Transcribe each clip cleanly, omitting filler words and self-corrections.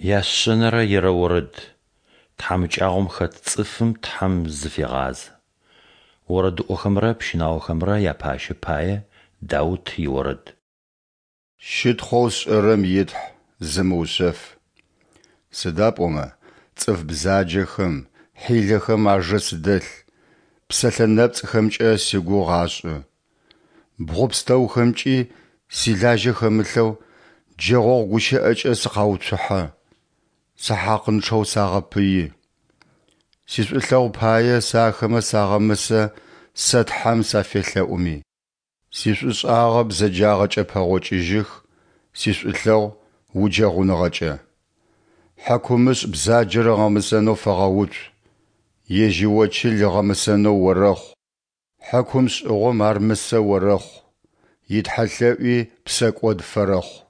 Яшъэнэрэ ерэорэд. Тхьамыкӏагъом хэт цӏыфым Тхьэм зыфегъазэ. Орэдыӏохэмрэ пщынаохэмрэ япащэ пае Даут иорэд. Щытхъоу сшӏэрэм и Тхьэ, зымыушъэф. Сыда пӏомэ цӏыф бзаджэхэм, хьилэхэм ажэ сыдэлъ, псэлъэ нэпцӏхэмкӏэ сигугъу ашӏы. Бгъу пстэухэмкӏи, силажьэ хэмылъэу, джэгъогъу гущыӏэкӏэ сыкъауцухьэ, сэ хьакъынчъэу сагъэпыи. Сишӏулъэгъу пае сэ ахэмэ сагъэмысэ сэ Тхьэм сафелъэӏуми. Сишӏушӏагъэ бзэджагъэкӏэ пэгъокӏыжьых, сишӏулъэгъу уджэгъуныгъэкӏэ. Хьыкумышӏ бзаджэр ыгъэмысэнэу фэгъэуцу, ежь иочыл ыгъэмысэнэу орэхъу. Хьыкум шӏыгъом ар мысэ орэхъу, итхьэлъэӏуи псэкӏод фэрэхъу.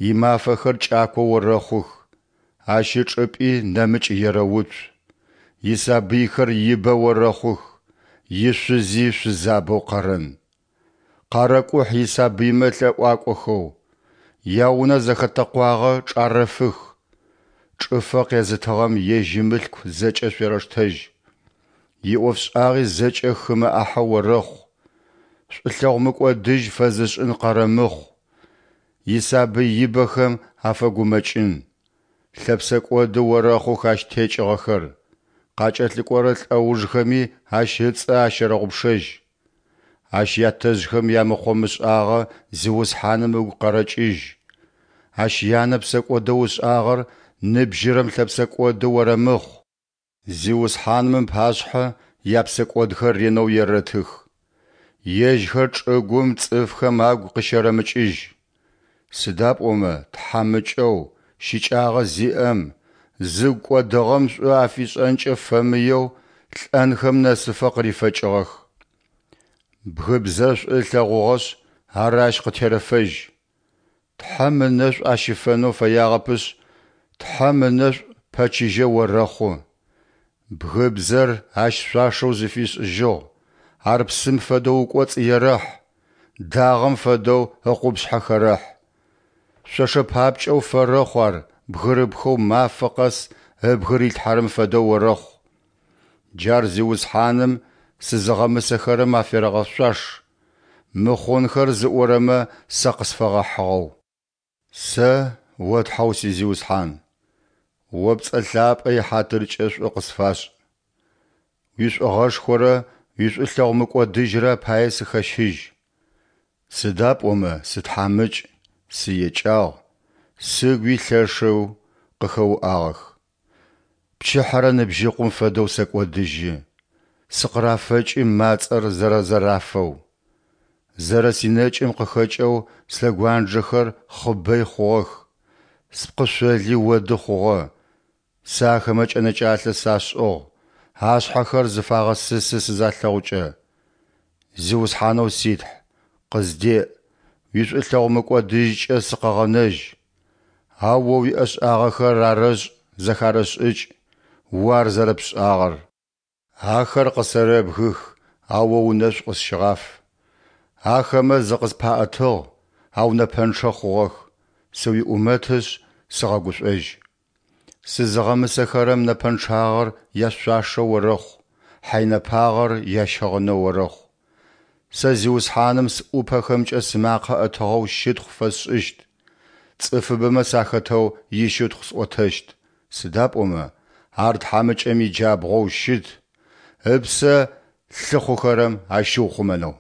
Имафэхэр кӏако орэхъух, ащ ычӏыпӏи нэмыкӏ ерэуцу. Исабыйхэр ибэ орэхъух, ишъузи шъузабэу къэрэн. Къарэкӏухь исабыймэ лъэӏуакӏохэу, яунэ зэхэтэкъуагъэ чӏарэфых. Чӏыфэ къезытыгъэм ежь имылъку зэкӏэ шъуерэштэжь, иӏофшӏагъи зэкӏэ хымэ ӏахьэ орэхъу. Шӏулъэгъу мыкӏодыжь фэзышӏын къэрэмыхъу, исабый ибэхэм афэгумэкӏын. Лъэпсэкӏоды орэхъух ащ текӏыгъэхэр, къакӏэлъыкӏорэ лӏэужхэми ащ ыцӏэ ащэрэгъупшэжь. Ащ ятэжъхэм ямыхъо-мышӏагъэ Зиусхьаным ыгу къэрэкӏыжь. Ащ янэ псэкӏодэу ышӏагъэр ныбжьырэм лъэпсэкӏоды орэмыхъу. Зиусхьаным ыпашъхьэ япсэкӏодхэр ренэу ерэтых, ежьхэр чӏыгум цӏыфхэм агу къыщэрэмыкӏыжь. Сыда пӏомэ тхьамыкӏэу, щыкӏагъэ зиӏэм, зыгу кӏодыгъэм шӏу афишӏэнкӏэ фэмыеу лӏэнхэм нэсыфэ къырифэкӏыгъэх. Бгыбзэр шӏу ылъэгъугъэшъ, ар ащ къытерэфэжь. Тхьэм ынэшӏу ащыфэнэу фэягъэпышъ, Тхьэм ынэшӏу пэчыжьэ орэхъу. Бгыбзэр ащ шъуашэу зыфишӏыжьыгъ, ар псым фэдэу ыкӏоцӏ ерэхь, дагъэм фэдэу ыкъупшъхьэ хэрэхь. Шъошэ папкӏэу фэрэхъу ар бгырыпхэу мафэ къэс ыбгы рилъхьэрэм фэдэу орэхъу. Джар Зиусхьаным сызыгъэмысэхэрэм аферэгъэшъуаш, мыхъунхэр зыӏорэмэ сэ къысфэгъэхьыгъэу. Сэ, О Тхьэу си Зиусхьан, О пцӏэ лъапӏэ ихьатыркӏэ шӏу къысфашӏ. Уишӏугъэшхорэ уишӏулъэгъу мыкӏодыжьрэ апае сыхэщыжь. Сыда пӏомэ сытхьамыкӏ, сыекӏагъ, сыгуи лъэшэу къыхэуӏагъэх. Пчыхьэрэ ныбжьыкъум фэдэу сэкӏодыжьы, сыкъырафэкӏы мацӏэр зэрэзэрафэу. Зэрэсинэкӏым къыхэкӏэу слъэгуанджэхэр хъыбэй хъугъэх, спкъышъоли оды хъугъэ. Сэ ахэмэ кӏэнэкӏалъэ сашӏыгъ, ашъхьэхэр зыфагъэсысы сызалъэгъукӏэ. Зиусхьанэу си Тхь, къыздеӏ, уишӏулъэгъу мыкӏодыжькӏэ сыкъэгъэнэжь. Ау О уиӏэшӏагъэхэр арэшӏ зэхарэшӏыкӏ, О ар зэрэпшӏагъэр. Ахэр къысэрэбгых, ау О унэшӏу къысщыгъаф. Ахэмэ зыкъыспаӏэтыгъ, ау нэпэнчъэ хъугъэх, сыуиӏумэтышъ, сыгъэгушӏожь. Сызыгъэмысэхэрэм нэпэнчъагъэр яшъуашэу орэхъу, хьайнэпагъэр ящыгъынэу орэхъу. Сэ Зиусхьаным сӏупэхэмкӏэ сымакъэ ӏэтыгъэу щытхъу фэсшӏыщт, цӏыфыбэмэ сахэтэу ищытхъу сӏотэщт, сыда пӏомэ Ар тхьамыкӏэм иджабгъоу щыт, ыпсэ лъыхъухэрэм ащиухъумэнэу.